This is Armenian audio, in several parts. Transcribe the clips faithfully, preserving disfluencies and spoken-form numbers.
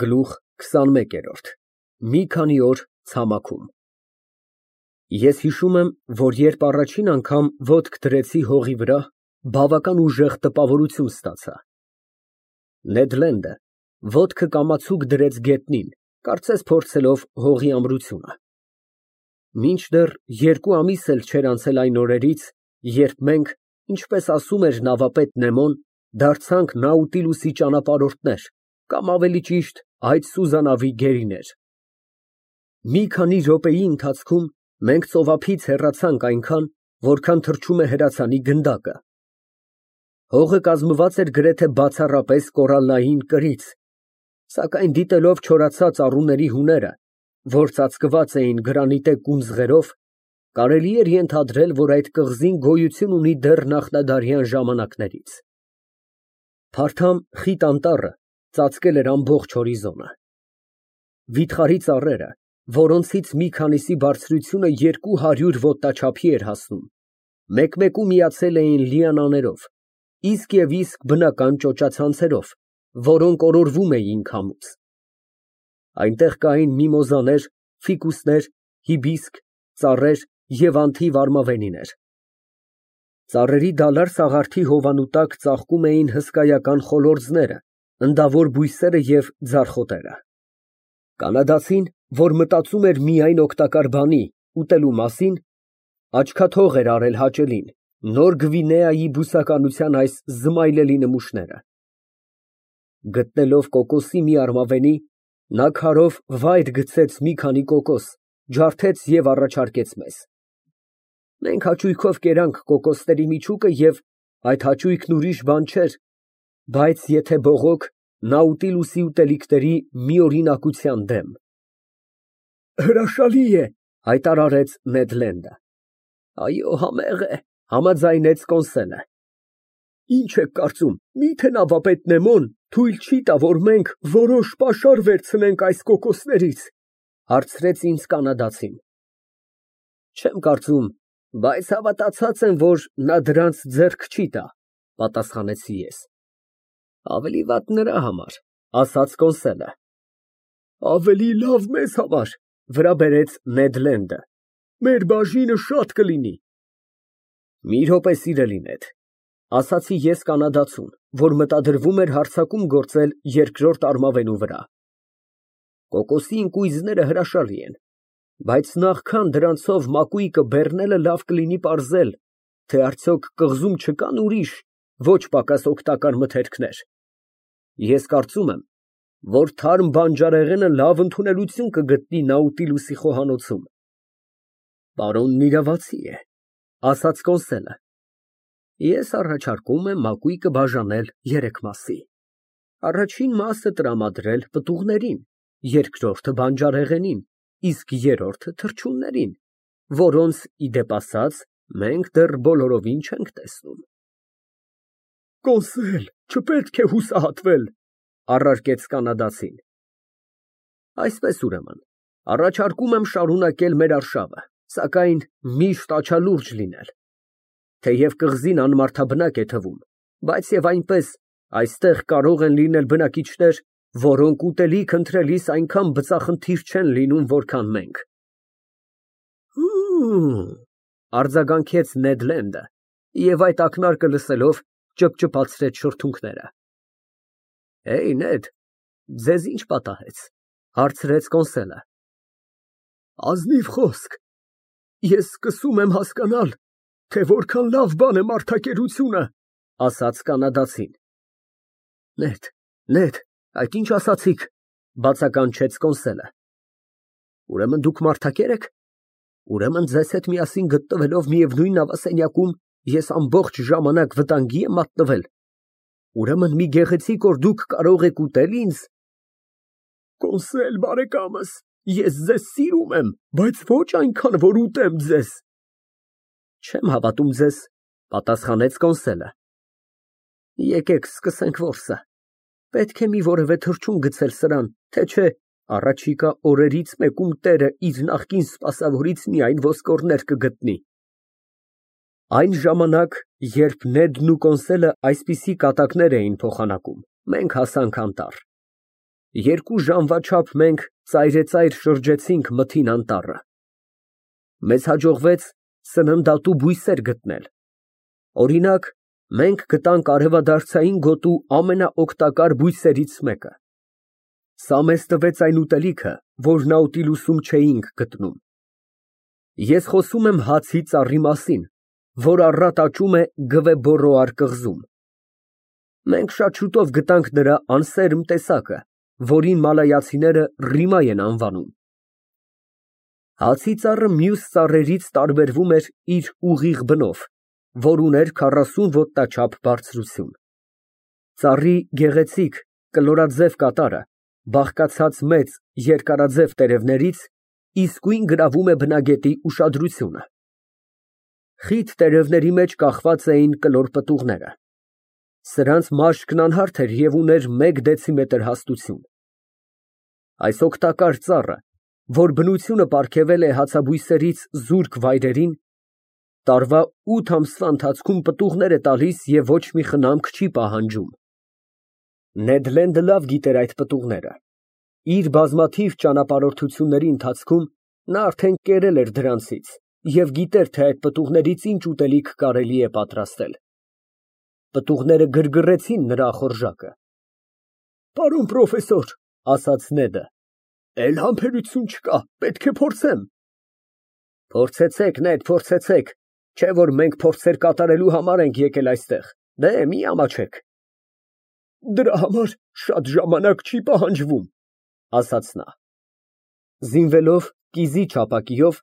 Գլուխ քսանմեկ։ Մի քանի օր ցամաքում։ Ես հիշում եմ, որ երբ առաջին անգամ ոտք դրեցի հողի վրա, բավական ուժեղ տպավորություն ստացա։ Նեդ Լենդը ոտքը կամացուկ դրեց գետնին, կարծես փորձելով հողի ամրությունը։ Մինչդեռ երկու ամիս էլ չէր անցել այն օրերից, երբ մենք, ինչպես ասում էր նավապետ Նեմոն, դարձանք Նաուտիլուսի ճանապարհորդներ, կամ ավելի ճիշտ այդ սուզանավի գերիներ։ Մի քանի րոպեի ընթացքում մենք ծովափից հեռացանք այնքան, որքան թռչում է հրացանի գնդակը։ Հողը կազմված էր գրեթե բացառապես կորալլային կրից, սակայն դիտելով չորացած առուների հուները, որ ծածկված էին գրանիտե կունձղերով, կարելի էր ենթադրել, որ այդ կղզին գոյություն ունի դեռ նախնադարյան ժամանակներից։ Փարթամ խիտ անտառը ծածկել էր ամբողջ հորիզոնը։ Վիթխարի ծառերը, որոնցից մի քանիսի բարձրությունը երկու հարյուր ոտնաչափի էր հասնում, մեկ֊մեկու միացել էին լիանաներով, իսկ և իսկ բնական ճոճացանցերով, որոնք օրորվում էին քամուց։ Այնտեղ կային միմոզաներ, ֆիկուսներ, հիբիսկ, ծառեր և անթիվ արմավենիներ։ Ծառերի դալար սաղարթի հովանու տակ ծաղկում էին հսկայական խոլորձները, ընդավոր բույսերը և ձարխոտերը։ Կանադացին, որ մտածում էր միայն օգտակար բանի՝ ուտելու մասին, աչքաթող էր արել հաճելին, Նոր Գվինեայի բուսականության այս զմայլելի նմուշները։ Գտնելով կոկոսի մի արմավենի, նա քարով վայր գցեց մի քանի կոկոս, ջարդեց և առաջարկեց մեզ։ Մենք հաճույքով կերանք կոկոսների միջուկը և այդ հաճույքն ուրիշ բան չէր, բայց եթե բողոք Նաուտիլուսի ուտելիքների միօրինակության դեմ։ Հրաշալի է, հայտարարեց Նեդ Լենդը։ Այո, համեղ է, համաձայնեց Կոնսելը։ Ինչ եք կարծում, միթե նավապետ Նեմոն թույլ չի տա, որ մենք որոշ պաշար վերցնենք այս կոկոսներից, հարցրեց ինձ կանադացին։ Չեմ կարծում, բայց հավատացած եմ, որ նա դրանց ձեռք չի տա, պատասխանեցի ես։ Ավելի վատ նրա համար, ասաց Կոնսելը։ Ավելի լավ մեզ համար, վրա բերեց Նեդ Լենդը։ Մեր բաժինը շատ կլինի։ Մի րոպե, սիրելի Նեդ, ասացի ես կանադացուն, որ մտադրվում էր հարձակում գործել երկրորդ արմավենու վրա։ Կոկոսի ընկույզները հրաշալի են, բայց նախքան դրանցով մակույկը բեռնելը լավ կլինի պարզել, թե արդյոք կղզում չկան ուրիշ, ոչ պակաս օգտակար մթերքներ։ Ես կարծում եմ, որ թարմ բանջարեղենը լավ ընդունելություն կգտնի Նաուտիլուսի խոհանոցում։ Պարոնն իրավացի է, ասաց Կոնսելը։ Ես առաջարկում եմ մակույկը բաժանել երեք մասի, առաջին մասը տրամադրել պտուղներին, երկրորդը բանջարեղենին, իսկ երրորդը թռչուններին, որոնց, ի դեպ ասած, մենք դեռ բոլորովին չենք տեսնում։ Կոնսել, չպետք է հուսահատվել, առարկեց կանադացին։ Այսպես ուրեմն, առաջարկում եմ շարունակել մեր արշավը, սակայն միշտ աչալուրջ լինել։ Թեև կղզին անմարդաբնակ է թվում, բայց և այնպես այստեղ կարող են լինել բնակիչներ, որոնք ուտելիք ընտրելիս այնքան բծախնդիր չեն լինում, որքան մենք։ Հըմ, արձագանքեց Նեդ Լենդը և այդ ակնարկը լսելով ճպճպացրեց շրթունքները։ Հեյ, Նեդ, ձեզ ինչ պատահեց, հարցրեց Կոնսելը։ Ազնիվ խոսք, ես սկսում եմ հասկանալ, թե որքան լավ բան է մարդակերությունը, ասաց կանադացին։ Նեդ, Նեդ, այդ ինչ ասացիք, բացականչեց Կոնսելը։ Ուրեմն դուք մարդակե՞ր եք։ Ուրեմն ձեզ հետ միասին գտնվելով միևնույն նավասենյակում ես ամբողջ ժամանակ վտանգի եմ մատնվել։ Ուրեմն մի գեղեցիկ օր դուք կարող եք ուտել ինձ։ Կոնսել բարեկամս, ես ձեզ սիրում եմ, բայց ոչ այնքան, որ ուտեմ ձեզ։ Չեմ հավատում ձեզ, պատասխանեց Կոնսելը։ Եկեք սկսենք որսը։ Պետք է մի որևէ թռչուն գցել սրան, թե չէ առաջիկա օրերից մեկում տերը իր նախկին սպասավորից միայն ոսկորներ կգտնի։ Այն ժամանակ, երբ Նեդն ու Կոնսելը այսպիսի կատակներ էին փոխանակում, մենք հասանք անտառ։ Երկու ժամվա չափ մենք ծայրեծայր շրջեցինք մթին անտառը։ Մեզ հաջողվեց սննդատու բույսեր գտնել։ Օրինակ, մենք գտանք արևադարձային գոտու ամենաօգտակար բույսերից մեկը։ Սա մեզ տվեց այն ուտելիքը, որ Նաուտիլուսում չէինք գտնում։ Ես խոսում եմ հացի ծառի մասին, որ առատ աճում է Գվեբորոար կղզում։ Մենք շատ շուտով գտանք նրա անսերմ տեսակը, որին մալայացիները ռիմա են անվանում։ Հացի ծառը մյուս ծառերից տարբերվում էր իր ուղիղ բնով, որ ուներ քառասուն ոտնաչափ բարձրություն։ Ծառի գեղեցիկ կլորաձև կատարը, բաղկացած մեծ երկարաձև տերևներից, իսկույն գրավում է բնագետի ուշադրությունը։ Խիտ տերևների մեջ կախված էին կլոր պտուղները։ Սրանց մաշկն անհարթ էր և ուներ մեկ դեցիմետր հաստություն։ Այս օգտակար ծառը, որ բնությունը պարգևել է հացաբույսերից զուրկ վայրերին, տարվա ութ ամսվա ընթացքում պտուղներ է տալիս և ոչ մի խնամք չի պահանջում։ Նեդ Լենդը լավ գիտեր այդ պտուղները։ Իր բազմաթիվ ճանապարհորդությունների ընթացքում նա արդեն կերել էր դրանցից և գիտեր, թե այդ պտուղներից ինչ ուտելիք կարելի է պատրաստել։ Պտուղները գրգռեցին նրա ախորժակը։ Պարոն պրոֆեսոր, ասաց Նեդը, էլ համբերություն չկա, պետք է փորձեմ։ Փորձեցեք, Նեդ, փորձեցեք, չէ որ մենք փորձեր կատարելու համար ենք եկել այստեղ, դե մի ամաչեք։ Դրա համար շատ ժամանակ չի պահանջվում, ասաց նա։ Զինվելով կիզի չապակիով,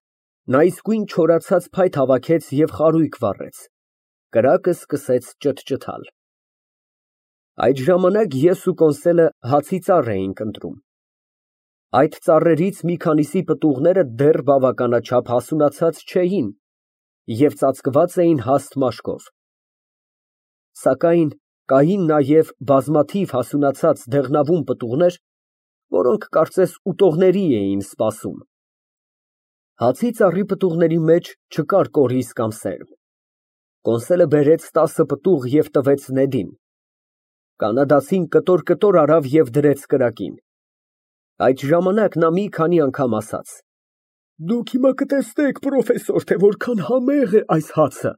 նա իսկույն չորացած փայտ հավաքեց և խարույկ վառեց։ Կրակը սկսեց ճտճտալ։ Այդ ժամանակ ես ու Կոնսելը հացի ծառ էինք ընտրում։ Այդ ծառերից մի քանիսի պտուղները դեռ բավականաչափ հասունացած չէին և ծածկված էին հաստ մաշկով։ Սակայն կային նաև բազմաթիվ հասունացած դեղնավուն պտուղներ, որոնք կարծես ուտողների էին սպասում։ Հացի ծառի պտուղների մեջ չկար կորիզ կամ սերմ։ Կոնսելը բերեց տասը պտուղ և տվեց Նեդին։ Կանադացին կտոր֊կտոր արավ և դրեց կրակին։ Այդ ժամանակ նա մի քանի անգամ ասաց. Դուք հիմա կտեսնեք, պրոֆեսոր, թե որքան համեղ է այս հացը։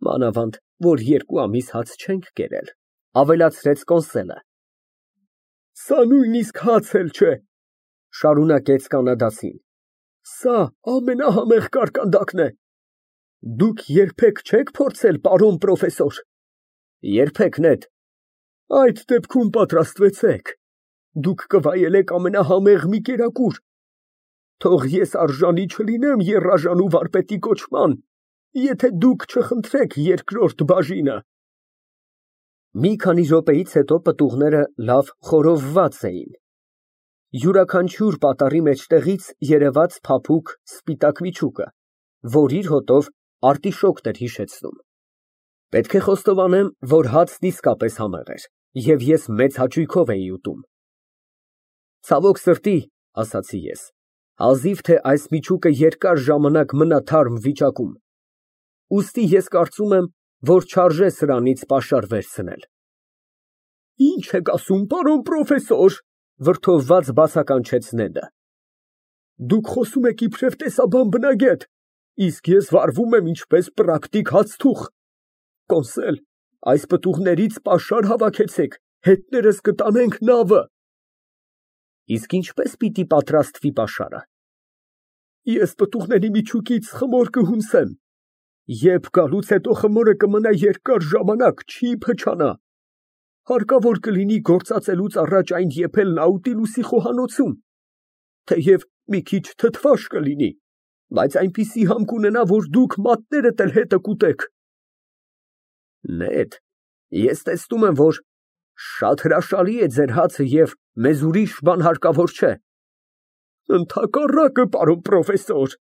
Մանավանդ, որ երկու ամիս հաց չենք կերել, ավելացրեց Կոնսելը։ Սա նույնիսկ հաց էլ չէ, շարունակեց կանադացին։ Սա ամենահամեղ կարկանդակն է։ Դուք երբեք չեք փորձել, պարոն պրոֆեսոր։ Երբեք, Նեդ։ Այդ դեպքում պատրաստվեցեք։ Դուք կվայելեք ամենահամեղ մի կերակուր։ Թող ես արժանի չլինեմ եռաժանու վարպետի կոչման, եթե դուք չխնդրեք երկրորդ բաժինը։ Մի քանի րոպեից հետո պտուղները լավ խորովված էին։ Յուրաքանչյուր պատառի մեջտեղից երևաց փափուկ սպիտակ միջուկը, որ իր հոտով արտիշոկն էր հիշեցնում։ Պետք է խոստովանեմ, որ հացն իսկապես համեղ էր, և ես մեծ հաճույքով էի ուտում։ Ցավոք սրտի, ասացի ես, հազիվ թե այս միջուկը երկար ժամանակ մնա թարմ վիճակում։ Ուստի ես կարծում եմ, որ չարժե սրանից պաշար վերցնել։ Ինչ եք ասում, պարոն պրոֆեսոր, վրդովված բացականչեց Նեդը։ Դուք խոսում եք իբրև տեսաբան բնագետ, իսկ ես վարվում եմ ինչպես պրակտիկ հացթուխ։ Կոնսել, այս պտուղներից պաշար հավաքեցեք, հետներս կտանենք նավը։ Իսկ ինչպես պիտի պատրաստվի պաշարը։ Ես պտուղների միջուկից խմոր կհունցեմ։ Երբ գալուց հետո խմորը կմնա երկար ժամանակ, չի փչանա։ Հարկավոր կլինի գործածելուց առաջ այն եփել Նաուտիլուսի խոհանոցում, թեև մի քիչ թթվաշ կլինի, բայց այնպիսի համ կունենա, որ դուք մատներդ էլ հետը կուտեք։ Նեդ, ես տեսնում եմ, որ շատ հրաշալի է ձեր հացը և մեզ ուրիշ բան հարկավոր չէ։ Ընդհակառակը, պարոն պրոֆեսոր,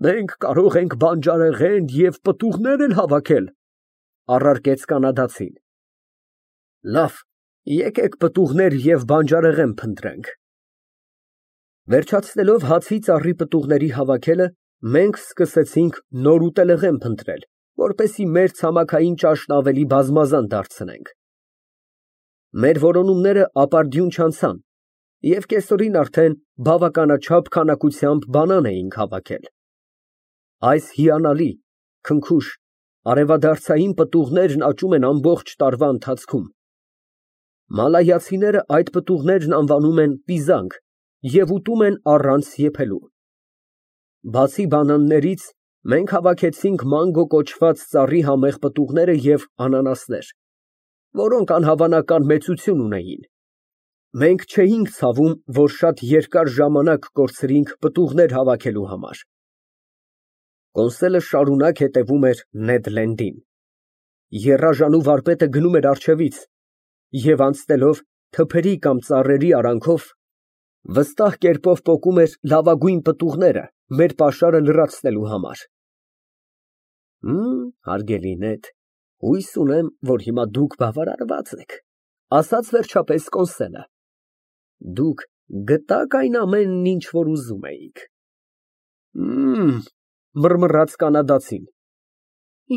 մենք կարող ենք բանջարեղեն և պտուղներ էլ հավաքել, առարկեց կանադացին։ Լավ, եկեք պտուղներ և բանջարեղեն փնտրենք։ Վերջացնելով հացի ծառի պտուղների հավաքելը, մենք սկսեցինք նոր ուտելեղեն փնտրել, որպեսզի մեր ցամաքային ճաշն ավելի բազմազան դարձնենք։ Մեր որոնումները ապարդյուն չանցան, և կեսօրին արդեն բավականաչափ քանակությամբ բանան էինք հավաքել։ Այս հիանալի, քնքուշ, արևադարձային պտուղներն աճում են ամբողջ տարվա ընթացքում։ Մալայացիները այդ պտուղներն անվանում են պիզանգ և ուտում են առանց եփելու։ Բացի բանաններից, մենք հավաքեցինք մանգո կոչված ծառի համեղ պտուղները և անանասներ, որոնք անհավանական մեծություն ունեին։ Մենք չէինք ցավում, որ շատ երկար ժամանակ կորցրինք պտուղներ հավաքելու համար։ Կոնսոլը շարունակ հետևում էր Նեդ Լենդին։ Եռաժանու վարպետը գնում էր առջևից և, անցնելով թփերի կամ ծառերի արանքով, վստահ կերպով պոկում էր լավագույն պտուղները մեր պաշարը լրացնելու համար։ Հարգելի Նեդ, հույս ունեմ, որ հիմա դուք բավարարված եք, ասաց վերջապես Կոնսոլը։ Դուք գտա՞ք այն ամենն, ինչ որ ուզում էիք։ Մռմռաց կանադացին։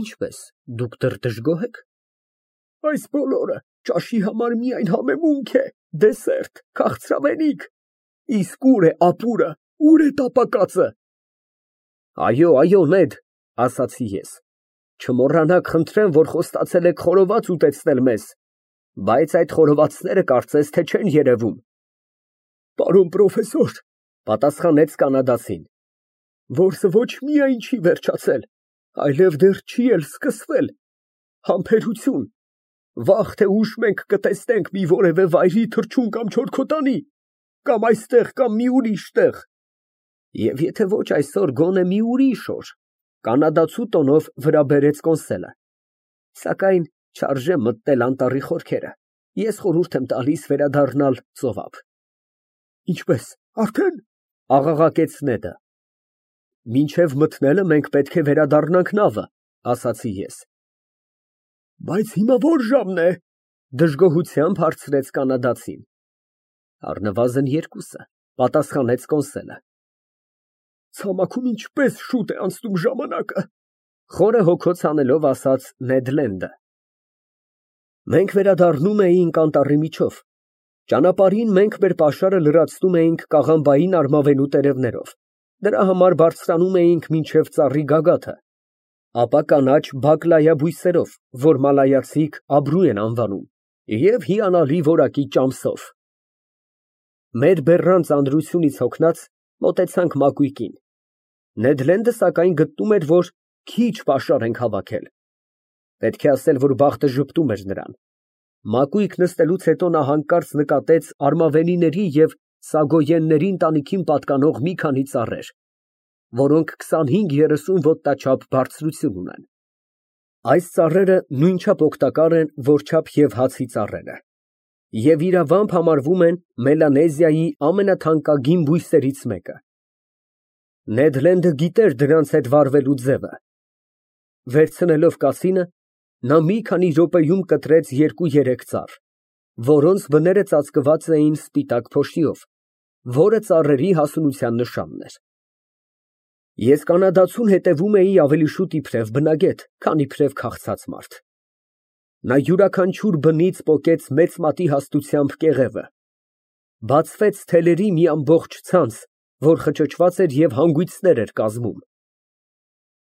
Ինչպես, դուք դեռ դժգոհ եք։ Այս բոլորը ճաշի համար միայն համեմունք է, դեսերտ, քաղցրավենիք, իսկ ուր է ապուրը, ուր է տապակածը։ Այո, այո, Նեդ, ասացի ես, չմոռանաք խնդրեմ, որ խոստացել եք խորոված ուտեցնել մեզ, բայց այդ խորովածները կարծես թե չեն երևում։ Պարոն պրոֆեսոր, պատասխանեց կանադացին, որսը ոչ միայն չի վերջացել, այլև դեռ չի էլ սկսվել։ Համբերություն, վաղ թե ուշ մենք կտեսնենք մի որևէ վայրի թռչուն կամ չորքոտանի, կամ այստեղ, կամ մի ուրիշ տեղ։ Եվ եթե ոչ այսօր, գոնե մի ուրիշ օր, կանադացու տոնով վրա բերեց Կոնսոլը։ Սակայն չարժե մտնել անտառի խորքերը, ես խորհուրդ եմ տալիս վերադառնալ ծովափ։ Ինչպես, արդեն, աղաղակեց Նեդը։ Մինչև մտնելը մենք պետք է վերադառնանք նավը, ասացի ես։ Բայց հիմա ո՞ր ժամն է, դժգոհությամբ հարցրեց կանադացին։ Առնվազն երկուսը, պատասխանեց Կոնսոլը։ Ցամաքում ինչպես շուտ է անցնում ժամանակը, խորը հոգոց անելով ասաց Նեդ Լենդը։ Մենք վերադառնում էինք անտառի միջով։ Ճանապարհին մենք մեր պաշարը լրացնում էինք կաղամբային արմավենու տերևներով, դրա համար բարձրանում էինք մինչև ծառի գագաթը, ապա կանաչ բակլայա բույսերով, որ մալայացիք աբրու են անվանում, և հիանալի որակի ճամսով։ Մեր բեռան ծանրությունից հոգնած մոտեցանք մակույկին։ Նեդ Լենդը սակայն գտնում էր, որ քիչ պաշար ենք հավաքել։ Պետք է ասել, որ բախտը ժպտում էր նրան։ Մակույկ նստելուց հետո նա հանկարծ նկատեց արմավենիների և սագոյենների ընտանիքին պատկանող մի քանի ծառեր, որոնք քսանհինգ երեսուն ոտնաչափ բարձրություն ունեն։ Այս ծառերը նույնչափ օգտակար են, որչափ և հացի ծառերը, և իրավամբ համարվում են Մելանեզիայի ամենաթանկագին բույսերից մեկը։ Նեդ Լենդը գիտեր դրանց հետ վարվելու ձևը։ Վերցնելով կասինը, նա մի քանի րոպեում կտրեց երկու֊երեք ծառ, որոնց բները ծածկված էին սպիտակ փոշիով, որը ծառերի հասունության նշանն էր։ Ես կանադացուն հետևում էի ավելի շուտ իբրև բնագետ, քան իբրև քաղցած մարդ։ Նա յուրաքանչյուր բնից պոկեց մեծ մատի հաստությամբ կեղևը, բացվեց թելերի մի ամբողջ ցանց, որ խճճված էր և հանգույցներ էր կազմում։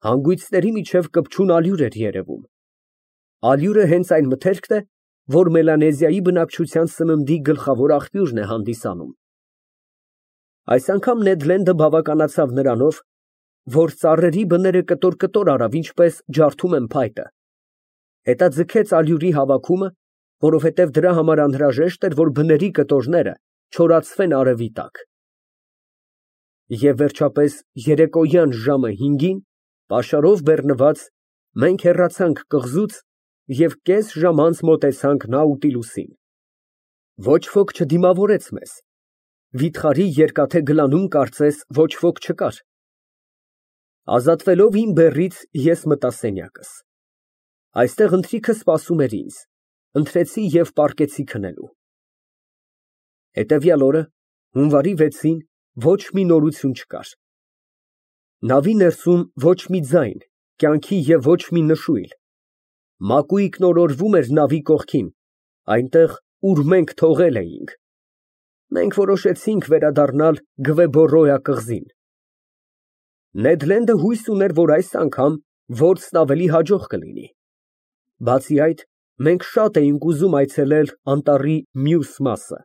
Հանգույցների միջև կպչուն ալյուր էր երևում։ Ալյուրը հենց այն մթերքն է, որ Մելանեզիայի բնակչության սննդի գլխավոր աղբյուրն է հանդիսանում։ Այս անգամ Նեդ Լենդը բավականացավ նրանով, որ ծառերի բները կտոր֊կտոր արավ, ինչպես ջարդում են փայտը, հետո ձգեց ալյուրի հավաքումը, որովհետև դրա համար անհրաժեշտ էր, որ բների կտորները չորացվեն արևի տակ։ Եվ վերջապես երեկոյան ժամը հինգին, պաշարով բեռնված, մենք հեռացանք կղզուց և կես ժամ անց մոտեցանք Նաուտիլուսին։ Ոչ ոք չդիմավորեց մեզ։ Վիթխարի երկաթե գլանում կարծես ոչ ոք չկար։ Ազատվելով իմ բեռից, ես մտա սենյակս։ Այստեղ ընթրիքը սպասում էր ինձ, ընթրեցի և պառկեցի քնելու։ Հետևյալ օրը, հունվարի վեցին, ոչ մի նորություն չկար։ Նավի ներսում ոչ մի ձայն, կյանքի և ոչ մի նշույլ։ Մակույկն օրորվում էր նավի կողքին, այնտեղ, ուր մենք թողել էինք։ Մենք որոշեցինք վերադառնալ Գվեբորոյա կղզին։ Նեդ Լենդը հույս ուներ, որ այս անգամ որսն ավելի հաջող կլինի։ Բացի այդ, մենք շատ էինք ուզում այցելել անտառի մյուս մասը։